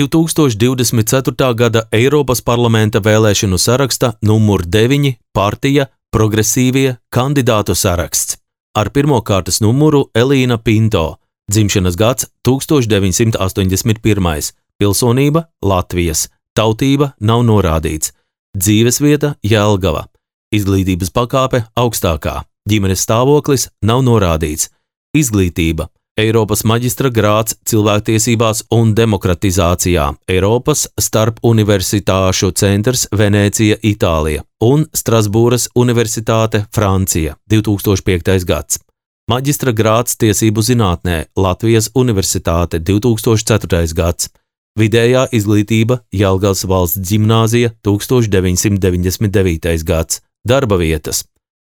2024. gada Eiropas parlamenta vēlēšanu saraksta numur 9 partija Progresīvie kandidātu saraksts. Ar pirmo kārtas numuru Elīna Pinto, dzimšanas gads 1981, pilsonība Latvijas, tautība nav norādīts, dzīvesvieta Jelgava, izglītības pakāpe augstākā, ģimenes stāvoklis nav norādīts, izglītība Eiropas maģistra grāds cilvēktiesībās un demokratizācijā, Eiropas starpuniversitāšu centrs Venēcija, Itālija un Strasbūras universitāte Francija, 2005. gads. Maģistra grāds tiesību zinātnē, Latvijas universitāte, 2004. gads. Vidējā izglītība Jelgavas valsts ģimnāzija, 1999. gads. Darba vietas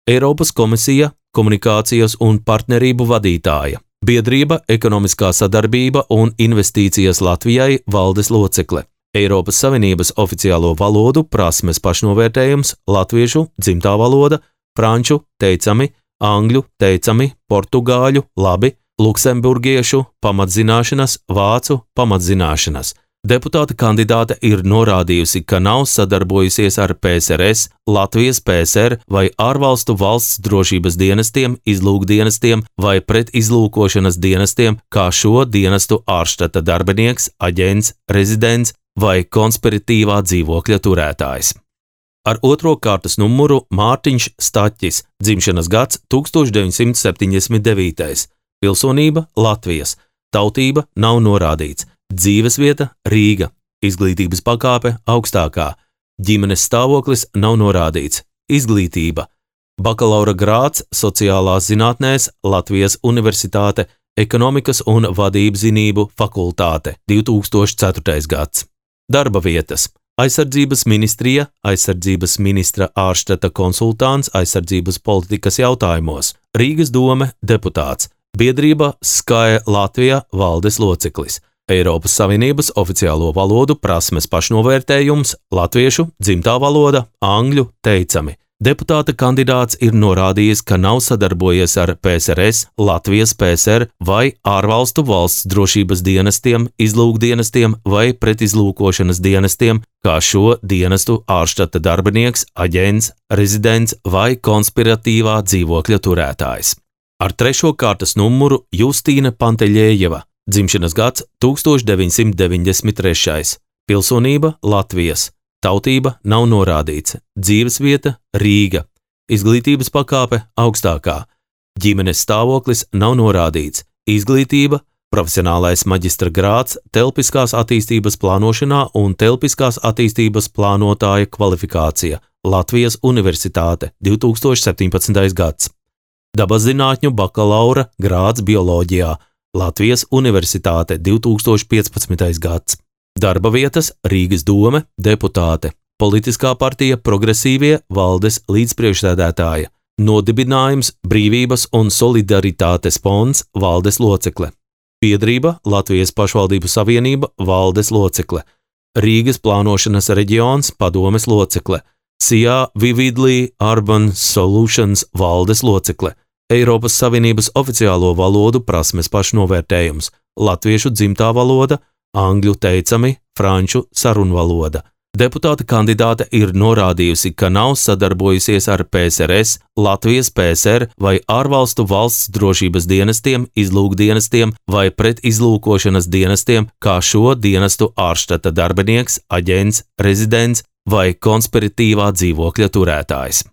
Eiropas komisija, komunikācijas un partnerību vadītāja. Biedrība Ekonomiskā sadarbība un investīcijas Latvijai valdes locekle. Eiropas Savienības oficiālo valodu prasmes pašnovērtējums latviešu dzimtā valoda, franču teicami, angļu teicami, portugāļu labi, luksemburgiešu pamatzināšanas, vācu pamatzināšanas. Deputāta kandidāte ir norādījusi, ka nav sadarbojusies ar PSRS, Latvijas PSR vai ārvalstu valsts drošības dienestiem, izlūkdienestiem vai pretizlūkošanas dienestiem, kā šo dienestu ārštata darbinieks, aģents, rezidents vai konspiratīvā dzīvokļa turētājs. Ar otro kārtas numuru Mārtiņš Staķis, dzimšanas gads 1979, pilsonība Latvijas, tautība nav norādīts. Dzīvesvieta Rīga, izglītības pakāpe augstākā, ģimenes stāvoklis nav norādīts, izglītība, bakalaura grāds sociālās zinātnēs Latvijas universitāte, ekonomikas un vadības zinību fakultāte, 2004. gads. Darba vietas aizsardzības ministrija, aizsardzības ministra ārštata konsultants aizsardzības politikas jautājumos, Rīgas dome deputāts, biedrība Sky Latvija valdes loceklis. Eiropas Savienības oficiālo valodu prasmes pašnovērtējums, latviešu dzimtā valoda, angļu teicami. Deputāta kandidāts ir norādījis, ka nav sadarbojies ar PSRS, Latvijas PSR vai ārvalstu valsts drošības dienestiem, izlūkdienestiem vai pretizlūkošanas dienestiem, kā šo dienestu ārštata darbinieks, aģents, rezidents vai konspiratīvā dzīvokļa turētājs. Ar trešo kārtas numuru Justīna Panteļējeva, dzimšanas gads 1993. Pilsonība Latvijas, tautība nav norādīts, dzīvesvieta Rīga, izglītības pakāpe augstākā, ģimenes stāvoklis nav norādīts, izglītība, profesionālais maģistra grāds telpiskās attīstības plānošanā un telpiskās attīstības plānotāja kvalifikācija, Latvijas universitāte, 2017. gads. Dabazzinātņu bakalaura grāds bioloģijā, Latvijas universitāte, 2015. gads. Darba vietas Rīgas dome, deputāte, politiskā partija Progresīvie valdes līdzpriekšsēdētāja, nodibinājums Brīvības un solidaritātes fonds valdes locekle, biedrība Latvijas pašvaldību savienība valdes locekle, Rīgas plānošanas reģions padomes locekle, SIA Vividly Urban Solutions valdes locekle, Eiropas Savienības oficiālo valodu prasmes pašnovērtējums, latviešu dzimtā valoda, angļu teicami, franču sarunvaloda. Deputāta kandidāte ir norādījusi, ka nav sadarbojusies ar PSRS, Latvijas PSR vai ārvalstu valsts drošības dienestiem, izlūkdienestiem vai pretizlūkošanas dienestiem, kā šo dienestu ārštata darbinieks, aģents, rezidents vai konspiratīvā dzīvokļa turētājs.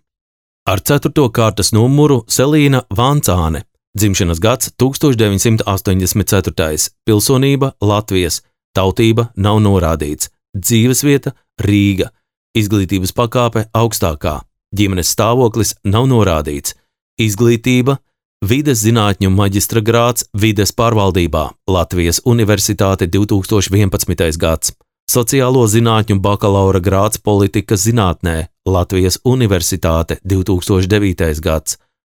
Ar ceturto kārtas numuru Selīna Vancāne, dzimšanas gads 1984, pilsonība Latvijas, tautība nav norādīts, dzīvesvieta Rīga, izglītības pakāpe augstākā, ģimenes stāvoklis nav norādīts, izglītība, vides zinātņu maģistra grāds vides pārvaldībā, Latvijas universitāte, 2011. gads. Sociālo zinātņu bakalaura grāds politikas zinātnē, Latvijas universitāte, 2009. gads.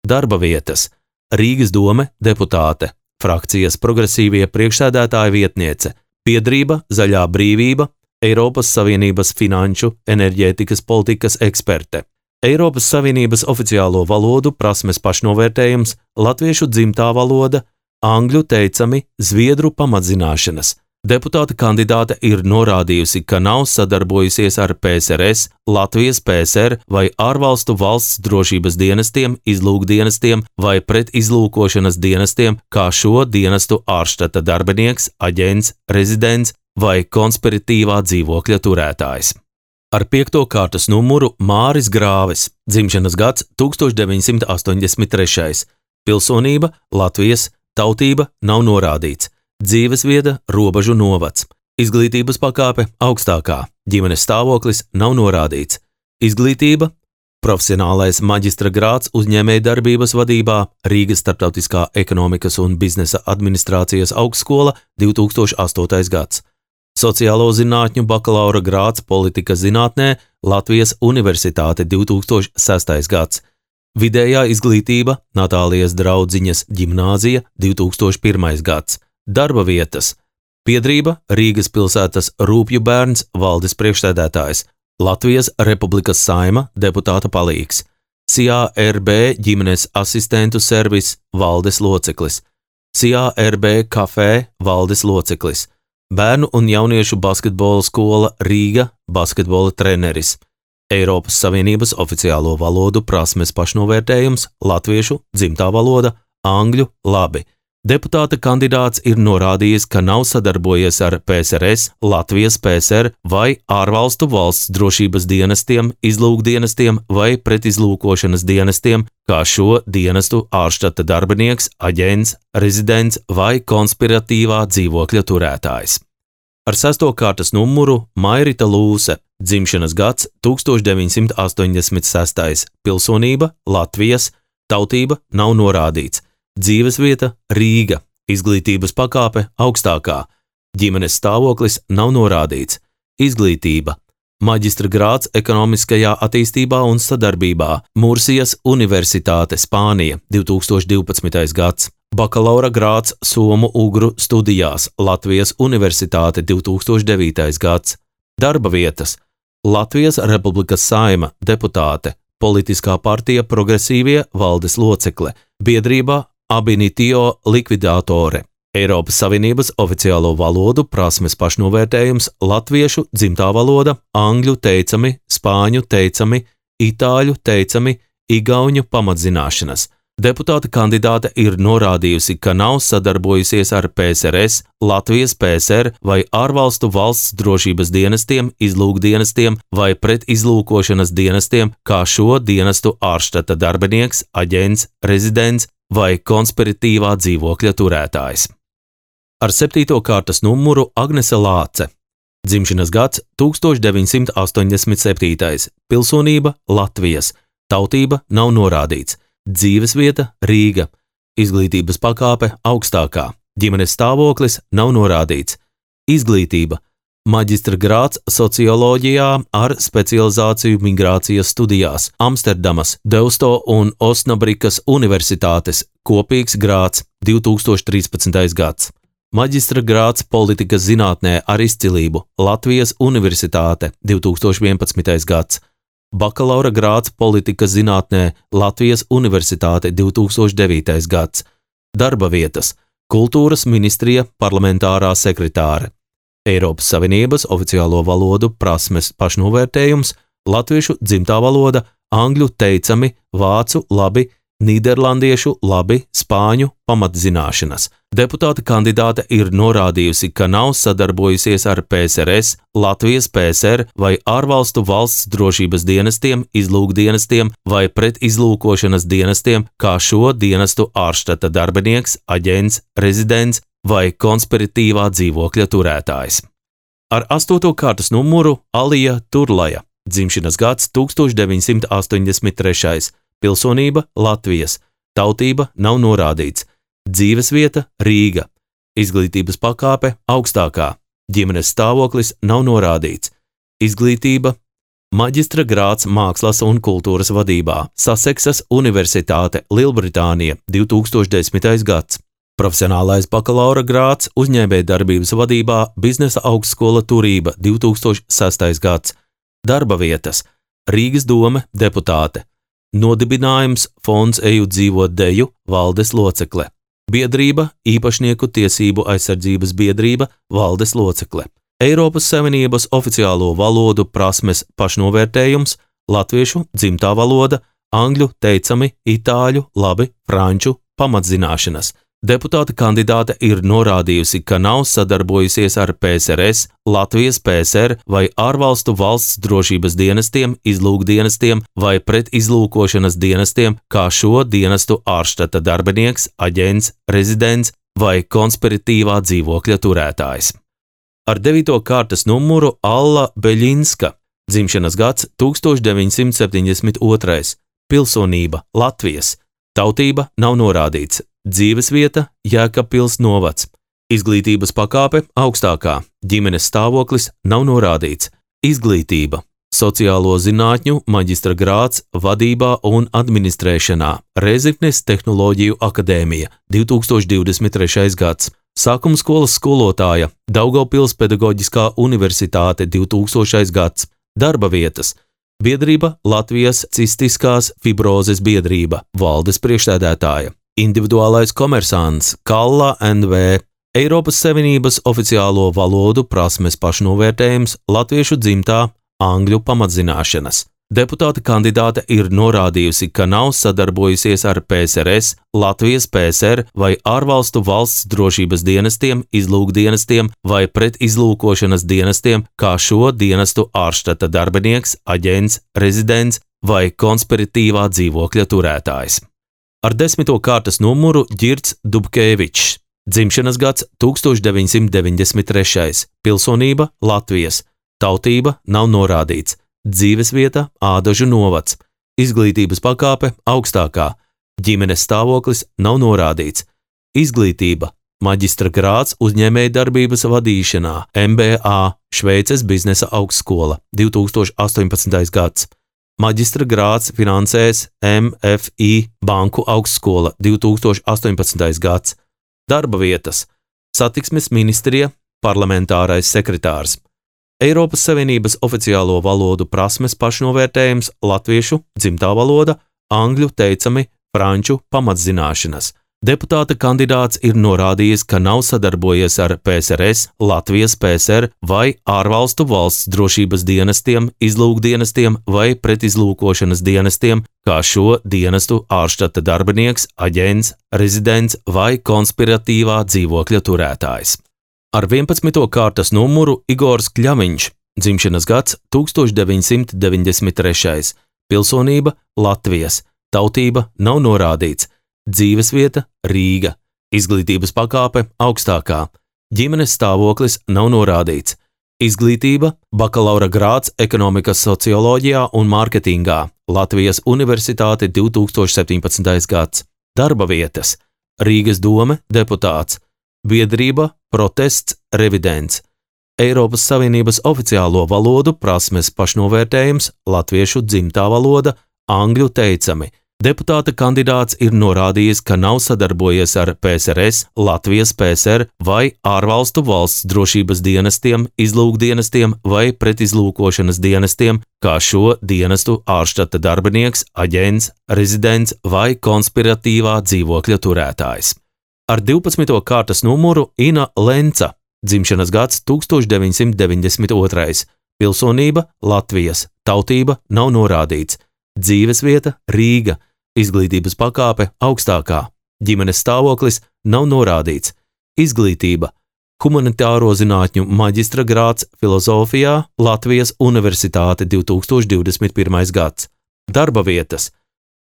Darba vietas Rīgas dome deputāte, frakcijas Progresīvie priekšsēdētāja vietniece, biedrība Zaļā brīvība, Eiropas Savienības finanšu, enerģētikas politikas eksperte. Eiropas Savienības oficiālo valodu prasmes pašnovērtējums, latviešu dzimtā valoda, angļu teicami, zviedru pamatzināšanas, Deputāta kandidāte ir norādījusi, ka nav sadarbojusies ar PSRS, Latvijas PSR vai ārvalstu valsts drošības dienestiem, izlūkdienestiem vai pretizlūkošanas dienestiem, kā šo dienestu ārštata darbinieks, aģents, rezidents vai konspiratīvā dzīvokļa turētājs. Ar 5. kārtas numuru Māris Grāvis, dzimšanas gads 1983, pilsonība Latvijas, tautība nav norādīts. Dzīvesvieta Robežu novads, izglītības pakāpe augstākā, ģimenes stāvoklis nav norādīts, izglītība, profesionālais maģistra grāds uzņēmējdarbības vadībā Rīgas Starptautiskā ekonomikas un biznesa administrācijas augstskola 2008. gads, sociālo zinātņu bakalaura grāds politikas zinātnē Latvijas Universitāte 2006. gads, vidējā izglītība Natālijas draudziņas ģimnāzija 2001. gads. Darba vietas, piedrība Rīgas pilsētas Rūpju bērns valdes priekšsēdētājs, Latvijas Republikas Saima deputāta palīgs, CARB ģimenes asistentu servis valdes loceklis, CARB kafē valdes loceklis, bērnu un jauniešu basketbola skola Rīga basketbola treneris, Eiropas Savienības oficiālo valodu prasmes pašnovērtējums latviešu dzimtā valoda, angļu labi. Deputāta kandidāts ir norādījis, ka nav sadarbojies ar PSRS, Latvijas PSR vai ārvalstu valsts drošības dienestiem, izlūkdienestiem vai pretizlūkošanas dienestiem, kā šo dienestu ārštata darbinieks, aģents, rezidents vai konspiratīvā dzīvokļa turētājs. Ar 6. kārtas numuru Mairita Lūse, dzimšanas gads 1986, pilsonība Latvijas, tautība nav norādīts. Dzīvesvieta Rīga, izglītības pakāpe augstākā, ģimenes stāvoklis nav norādīts, izglītība, maģistra grāds ekonomiskajā attīstībā un sadarbībā Mursijas Universitāte Spānija 2012. gads, bakalaura grāds Somu-ugru studijās Latvijas Universitāte 2009. gads, darba vietas Latvijas Republikas Saima deputāte, politiskā partija Progresīvie valdes locekle, biedrībā Abinitio likvidātore, Eiropas Savienības oficiālo valodu prasmes pašnovērtējums latviešu dzimtā valoda, angļu teicami, spāņu teicami, itāļu teicami, igauņu pamatzināšanas. Deputāta kandidāte ir norādījusi, ka nav sadarbojusies ar PSRS, Latvijas PSR vai ārvalstu valsts drošības dienestiem, izlūkdienestiem vai pretizlūkošanas dienestiem, kā šo dienestu ārštata darbinieks, aģents, rezidents vai konspiratīvā dzīvokļa turētājs. Ar 7. kārtas numuru Agnese Lāce, dzimšanas gads 1987, pilsonība Latvijas, tautība nav norādīts, dzīvesvieta Rīga, izglītības pakāpe augstākā, ģimenes stāvoklis nav norādīts, izglītība, maģistra grāds socioloģijā ar specializāciju migrācijas studijās Amsterdamas, Deusto un Osnabrikas universitātes, kopīgs grāds 2013. gads, maģistra grāds politikas zinātnē ar izcilību Latvijas Universitāte 2011. gads, bakalaura grāds politikas zinātnē Latvijas Universitāte 2009. gads, darba vietas, kultūras ministrija parlamentārā sekretāre, Eiropas Savienības oficiālo valodu prasmes pašnovērtējums, latviešu dzimtā valoda, angļu teicami, vācu labi, nīderlandiešu labi, spāņu pamatzināšanas. Deputāta kandidāte ir norādījusi, ka nav sadarbojusies ar PSRS, Latvijas PSR vai ārvalstu valsts drošības dienestiem, izlūkdienestiem vai pretizlūkošanas dienestiem, kā šo dienestu ārštata darbinieks, aģents, rezidents vai konspiratīvā dzīvokļa turētājs. Ar 8. kārtas numuru Alija Turlaja, dzimšanas gads 1983, pilsonība Latvijas, tautība nav norādīts, dzīvesvieta Rīga, izglītības pakāpe augstākā, ģimenes stāvoklis nav norādīts, izglītība, maģistra grāds mākslas un kultūras vadībā, Saseksas Universitāte Lielbritānija 2010. gads, profesionālais bakalaura grāds uzņēmējdarbības vadībā Biznesa augstskola Turība 2006. gads, darba vietas, Rīgas dome deputāte, nodibinājums Fonds Eju dzīvot deju valdes locekle, Biedrība, īpašnieku tiesību aizsardzības biedrība, valdes locekle. Eiropas Savienības oficiālo valodu prasmes pašnovērtējums, latviešu dzimtā valoda, angļu teicami, itāļu labi, franču pamatzināšanas. Deputāta kandidāte ir norādījusi, ka nav sadarbojusies ar PSRS, Latvijas PSR vai ārvalstu valsts drošības dienestiem, izlūkdienestiem vai pretizlūkošanas dienestiem, kā šo dienestu ārštata darbinieks, aģents, rezidents vai konspiratīvā dzīvokļa turētājs. Ar 9. kārtas numuru Alla Beļinska, dzimšanas gads 1972, pilsonība Latvijas, tautība nav norādīts. Dzīvesvieta Jēkabpils novads, izglītības pakāpe augstākā, ģimenes stāvoklis nav norādīts, izglītība, sociālo zinātņu maģistra grāds vadībā un administrēšanā, Rēzeknes tehnoloģiju akadēmija, 2023. gads, sākumskolas skolotāja, Daugavpils pedagoģiskā universitāte, 2000. gads, darba vietas, biedrība Latvijas cistiskās fibrozes biedrība, valdes priekšsēdētāja. Individuālais komersants Kalla NV, Eiropas Savienības oficiālo valodu prasmes pašnovērtējums, latviešu dzimtā, angļu pamatzināšanas. Deputāta kandidāte ir norādījusi, ka nav sadarbojusies ar PSRS, Latvijas PSR vai ārvalstu valsts drošības dienestiem, izlūkdienestiem vai pretizlūkošanas dienestiem, kā šo dienestu ārštata darbinieks, aģents, rezidents vai konspiratīvā dzīvokļa turētājs. Ar 10. kārtas numuru Ģirds Dubkevičs, dzimšanas gads 1993, pilsonība Latvijas, tautība nav norādīts, dzīvesvieta Ādažu novads, izglītības pakāpe augstākā, ģimenes stāvoklis nav norādīts, izglītība, maģistra grāds uzņēmējdarbības vadīšanā, MBA, Šveices biznesa augstskola, 2018. gads. Maģistra grāds finansēs MFI Banku augstskola, 2018. gads. Darba vietas, satiksmes ministrija, parlamentārais sekretārs. Eiropas Savienības oficiālo valodu prasmes pašnovērtējums, latviešu dzimtā valoda, angļu teicami, franču pamatzināšanas. Deputāta kandidāts ir norādījis, ka nav sadarbojies ar PSRS, Latvijas PSR vai ārvalstu valsts drošības dienestiem, izlūkdienestiem vai pretizlūkošanas dienestiem, kā šo dienestu ārštata darbinieks, aģents, rezidents vai konspiratīvā dzīvokļa turētājs. Ar 11. kārtas numuru Igors Kļaviņš, dzimšanas gads 1993, pilsonība Latvijas, tautība nav norādīts. Dzīvesvieta Rīga, izglītības pakāpe augstākā, ģimenes stāvoklis nav norādīts, izglītība bakalaura grāds ekonomikas socioloģijā un mārketingā, Latvijas Universitāte 2017. gads, darba vietas, Rīgas dome deputāts, biedrība protests revidents, Eiropas Savienības oficiālo valodu prasmes pašnovērtējums, latviešu dzimtā valoda, angļu teicami. Deputāta kandidāts ir norādījis, ka nav sadarbojies ar PSRS, Latvijas PSR vai ārvalstu valsts drošības dienestiem, izlūkdienestiem vai pretizlūkošanas dienestiem, kā šo dienestu ārštata darbinieks, aģents, rezidents vai konspiratīvā dzīvokļa turētājs. Ar 12. kārtas numuru Ina Lenca, dzimšanas gads 1992, pilsonība Latvijas, tautība nav norādīts, dzīvesvieta Rīga, izglītības pakāpe augstākā, ģimenes stāvoklis nav norādīts, izglītība, humanitāro zinātņu maģistra grāds filozofijā, Latvijas Universitāte 2021. gads, darba vietas,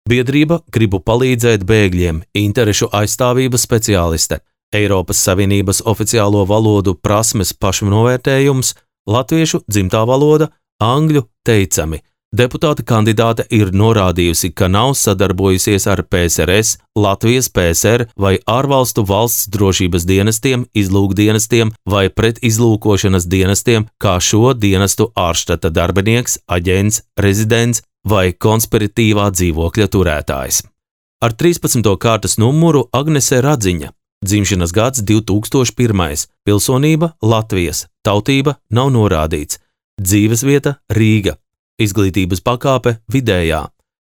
biedrība gribu palīdzēt bēgļiem, interešu aizstāvības speciāliste, Eiropas Savienības oficiālo valodu prasmes pašnovērtējums, latviešu dzimtā valoda, angļu teicami. Deputāta kandidāte ir norādījusi, ka nav sadarbojusies ar PSRS, Latvijas PSR vai ārvalstu valsts drošības dienestiem, izlūkdienestiem vai pretizlūkošanas dienestiem, kā šo dienestu ārštata darbinieks, aģents, rezidents vai konspiratīvā dzīvokļa turētājs. Ar 13. kārtas numuru Agnese Radziņa, dzimšanas gads 2001, pilsonība Latvijas, tautība nav norādīts, dzīvesvieta Rīga. Izglītības pakāpe vidējā,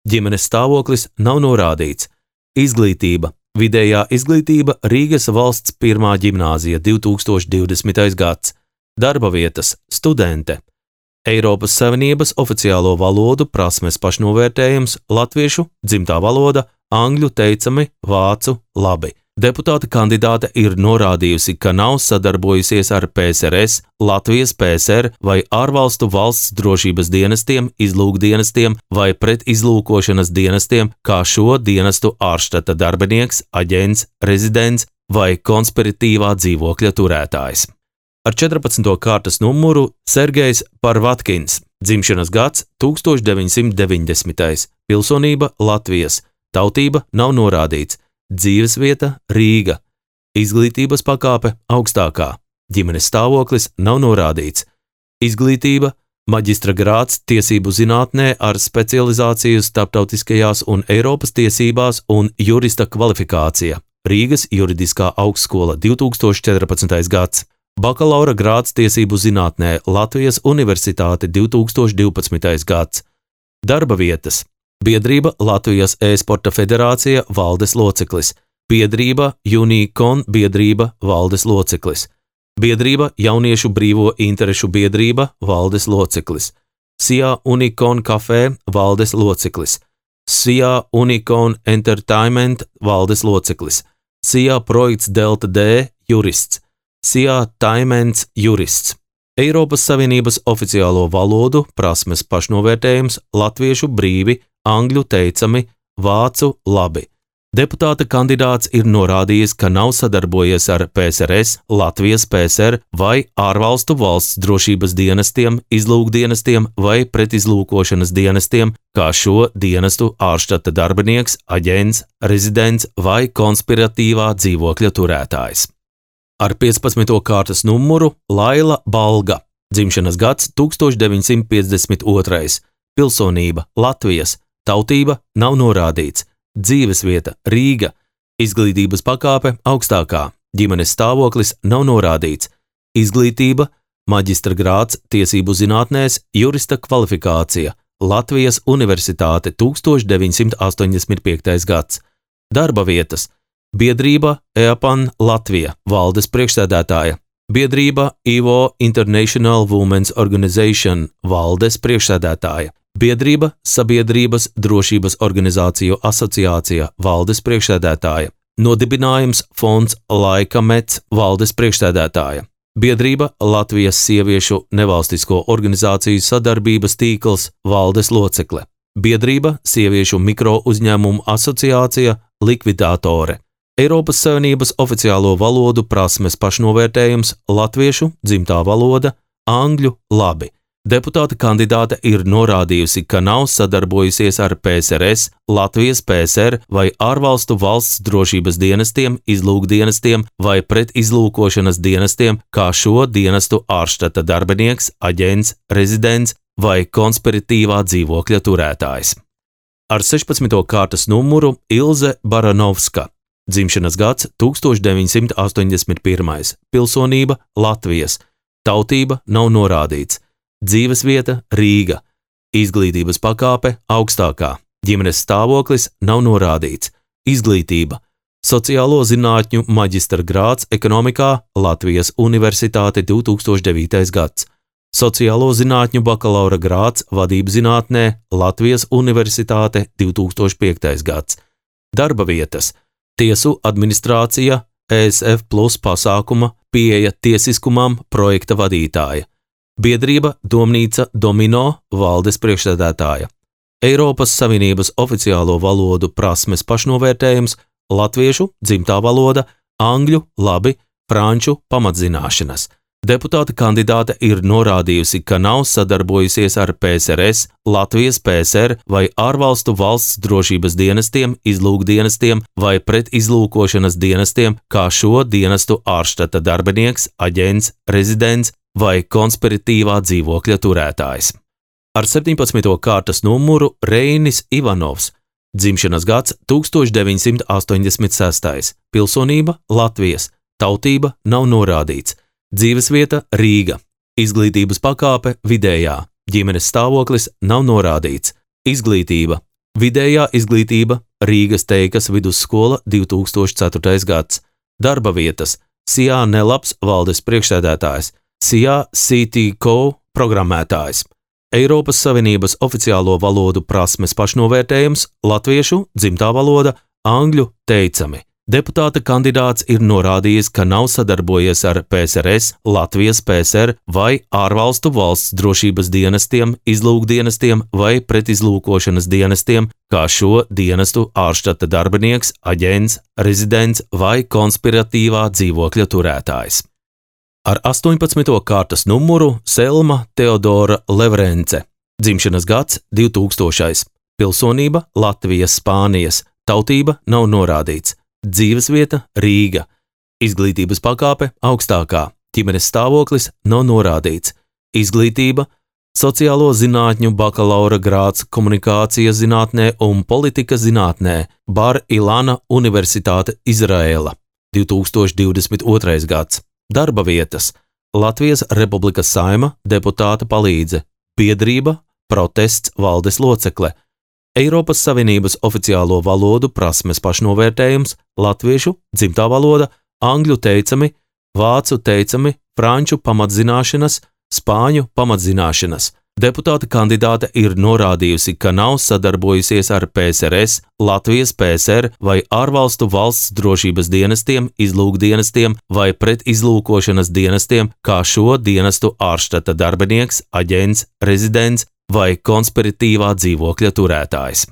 ģimenes stāvoklis nav norādīts, izglītība, vidējā izglītība Rīgas valsts pirmā ģimnāzija 2020. gads, darba vietas studente, Eiropas Savienības oficiālo valodu prasmes pašnovērtējums latviešu dzimtā valoda, angļu teicami, vācu labi. Deputāta kandidāte ir norādījusi, ka nav sadarbojusies ar PSRS, Latvijas PSR vai ārvalstu valsts drošības dienestiem, izlūkdienestiem vai pretizlūkošanas dienestiem, kā šo dienestu ārštata darbinieks, aģents, rezidents vai konspiratīvā dzīvokļa turētājs. Ar 14. kārtas numuru Sergejs Parvatkins, dzimšanas gads 1990. Pilsonība Latvijas, tautība nav norādīts. Dzīvesvieta Rīga, izglītības pakāpe augstākā, ģimenes stāvoklis nav norādīts, izglītība, maģistra grāds tiesību zinātnē ar specializāciju starptautiskajās un Eiropas tiesībās un jurista kvalifikācija, Rīgas juridiskā augstskola 2014. gads, bakalaura grāds tiesību zinātnē Latvijas Universitāte 2012. gads, darba vietas. Biedrība Latvijas e-sporta federācija valdes loceklis, biedrība Unikon biedrība valdes loceklis, biedrība Jauniešu brīvo interešu biedrība valdes loceklis, SIA Unikon kafē valdes loceklis, SIA Unikon Entertainment valdes loceklis, SIA projekts Delta D jurists, SIA Taimens jurists. Eiropas Savienības oficiālo valodu prasmes pašnovērtējums latviešu brīvi, angļu teicami, vācu labi. Deputāta kandidāts ir norādījis, ka nav sadarbojies ar PSRS, Latvijas PSR vai ārvalstu valsts drošības dienestiem, izlūkdienestiem vai pretizlūkošanas dienestiem, kā šo dienestu ārštata darbinieks, aģents, rezidents vai konspiratīvā dzīvokļa turētājs. Ar 15. kārtas numuru Laila Balga, dzimšanas gads 1952. Pilsonība Latvijas, tautība nav norādīts, dzīvesvieta Rīga, izglītības pakāpe augstākā, ģimenes stāvoklis nav norādīts, izglītība, maģistra grāds tiesību zinātnēs, jurista kvalifikācija, Latvijas Universitāte 1985. gads, darba vietas, biedrība EAPAN Latvija, valdes priekšsēdētāja, biedrība IVO International Women's Organization, valdes priekšsēdētāja, biedrība Sabiedrības drošības organizāciju asociācija, valdes priekšsēdētāja, nodibinājums Fonds Laika Mets, valdes priekšsēdētāja, biedrība Latvijas sieviešu nevalstisko organizāciju sadarbības tīkls, valdes locekle, biedrība Sieviešu mikro uzņēmumu asociācija, likvidātore, Eiropas Savienības oficiālo valodu prasmes pašnovērtējums latviešu dzimtā valoda, angļu labi. Deputāta kandidāte ir norādījusi, ka nav sadarbojusies ar PSRS, Latvijas PSR vai ārvalstu valsts drošības dienestiem, izlūkdienestiem vai pretizlūkošanas dienestiem, kā šo dienestu ārštata darbinieks, aģents, rezidents vai konspiratīvā dzīvokļa turētājs. Ar 16. kārtas numuru Ilze Baranovska, dzimšanas gads 1981. Pilsonība Latvijas, tautība nav norādīts, dzīvesvieta Rīga, izglītības pakāpe augstākā, ģimenes stāvoklis nav norādīts, izglītība, sociālo zinātņu maģistra grāds ekonomikā Latvijas Universitāte 2009. gads, sociālo zinātņu bakalaura grāds vadības zinātnē Latvijas Universitāte 2005. gads, darba vietas, tiesu administrācija, ESF plus pasākuma, pieeja tiesiskumam projekta vadītāja, biedrība Domnīca Domino, valdes priekšsēdētāja, Eiropas Savienības oficiālo valodu prasmes pašnovērtējums latviešu dzimtā valoda, angļu labi, franču pamatzināšanas. Deputāta kandidāte ir norādījusi, ka nav sadarbojusies ar PSRS, Latvijas PSR vai ārvalstu valsts drošības dienestiem, izlūkdienestiem vai pretizlūkošanas dienestiem, kā šo dienestu ārštata darbinieks, aģents, rezidents vai konspiratīvā dzīvokļa turētājs. Ar 17. kārtas numuru Reinis Ivanovs, dzimšanas gads 1986. Pilsonība Latvijas, tautība nav norādīts. Dzīvesvieta Rīga, izglītības pakāpe vidējā, ģimenes stāvoklis nav norādīts, izglītība, vidējā izglītība, Rīgas Teikas vidusskola 2004. gads. Darba vietas SIA Nelaps valdes priekšsēdētājs, SIA CTCO programmētājs. Eiropas Savienības oficiālo valodu prasmes pašnovērtējums latviešu dzimtā valoda, angļu teicami. Deputāta kandidāts ir norādījis, ka nav sadarbojies ar PSRS, Latvijas PSR vai ārvalstu valsts drošības dienestiem, izlūkdienestiem vai pretizlūkošanas dienestiem, kā šo dienestu ārštata darbinieks, aģents, rezidents vai konspiratīvā dzīvokļa turētājs. Ar 18. kārtas numuru Selma Teodora Levrence. Dzimšanas gads 2000. Pilsonība Latvijas, Spānijas. Tautība nav norādīts. Dzīvesvieta Rīga. Izglītības pakāpe augstākā. Ģimenes stāvoklis nav norādīts. Izglītība sociālo zinātņu bakalaura grāds komunikācijas zinātnē un politikas zinātnē. Bar Ilana Universitāte Izraēla. 2022. gads. Darba vietas Latvijas Republikas Saeima deputāta palīdze. Biedrība protests valdes locekle. Eiropas Savienības oficiālo valodu prasmes pašnovērtējums latviešu dzimtā valoda, angļu teicami, vācu teicami, franču pamatzināšanas, spāņu pamatzināšanas. Deputāta kandidāte ir norādījusi, ka nav sadarbojusies ar PSRS, Latvijas PSR vai ārvalstu valsts drošības dienestiem, izlūkdienestiem vai pretizlūkošanas dienestiem, kā šo dienestu ārštata darbinieks, aģents, rezidents vai konspiratīvā dzīvokļa turētājs.